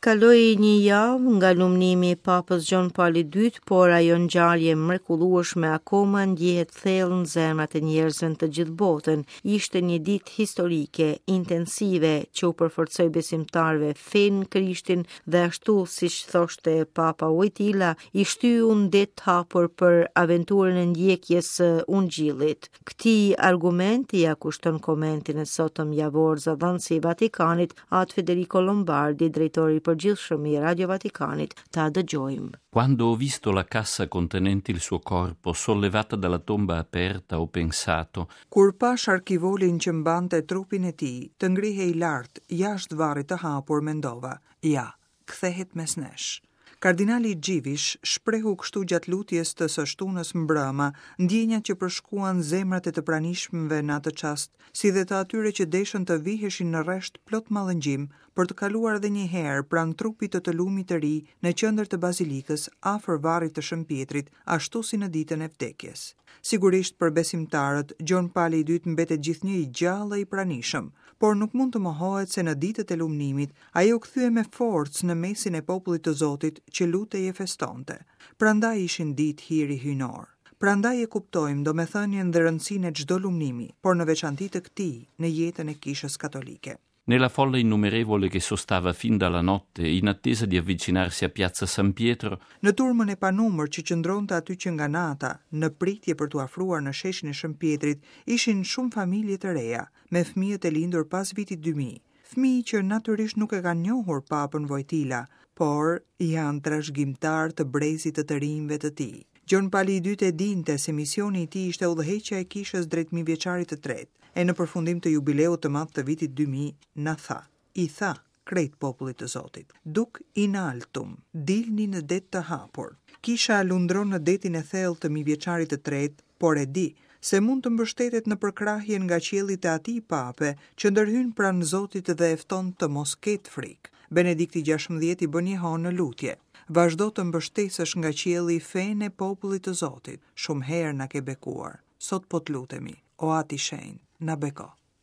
Kaloi një javë nga lumnimi i Papës Gjon Pali II, por ajo ngjarje e mrekullueshme akoma ndjehet thellë në zemrat e njerëzve në të gjithë botën. Ishte një ditë historike, intensive, që u përforcoi besimtarëve fenë në Krishtin dhe ashtu siç thoshte Papa Wojtyla, i shtyu në det të hapur për aventurën e ndjekjes së Ungjillit. Këtij argumenti ia kushton komentin e sotëm javor zëdhënësi i Vatikanit, At Federico Lombardi, drejtori i përgjithshëm i Radio Vatikanit, ta dëgjojmë. Quando ho visto la cassa contenente il suo corpo sollevata dalla tomba aperta, ho pensato. Kur pashë arkivolin që mbante trupin e tij, të ngrihej lart, jashtë varrit të hapur, mendova, ja, kthehet mes nesh. Kardinali Dziwisz shprehu kështu gjatë lutjes të së shtunës mbrëma ndjenjat që përshkuan zemrat e të pranishmëve në atë çast, si dhe të atyre që deshën të viheshin në rresht plot mallëngjim për të kaluar edhe një herë pranë trupit të të lumit të ri në qendër të bazilikës afër varrit të Shën Pjetrit, ashtu si në ditën e vdekjes. Sigurisht për besimtarët, Gjon Pali i Dytë mbetet gjithnjë i gjallë e i pranishëm, por nuk mund të mohohet se në ditët e lumnimit Ai u kthye me forcë në mesin e popullit të Zotit që lutej e festonte. Prandaj ishin ditë hiri hyjnor. Prandaj e kuptojmë domethënien dhe rëndësinë e çdo lumnimi, por në veçanti të këtij në jetën e Kishës Katolike. Nella folla innumerevole che sostava fin dalla notte in attesa di avvicinarsi a piazza San Pietro, Në turmën e panumërt që qëndronte aty që nga nata, në pritje për t'u afruar në sheshin e Shën Pjetrit, ishin shumë familje të reja, me fëmijët e lindur pas vitit 2000. Fëmijë që natyrisht nuk e kanë njohur Papën Vojtila, por janë trashëgimtarë të brezit të të rinjve të tij. Gjon Pali i Dytë e dinte se misioni i tij ishte udhëheqja e Kishës drejt mijëvjeçarit të tretë, e në përfundim të jubileut të madh të vitit 2000, na tha, i tha krejt popullit të Zotit, Duc in altum, dilni në det të hapur. Kisha lundron në detin e thellë të mijëvjeçarit të tretë, por e di se mund të mbështetet në përkrahjen nga qielli të atij Pape që ndërhyn pranë Zotit dhe e fton të mos ketë frikë. Benedikti XVI i bën jehonë në lutje. Vazhdo të mbështesësh nga qielli fenë e popullit të Zotit. Shumë herë na ke bekuar. Sot po të lutemi, o At i Shenjtë, na beko.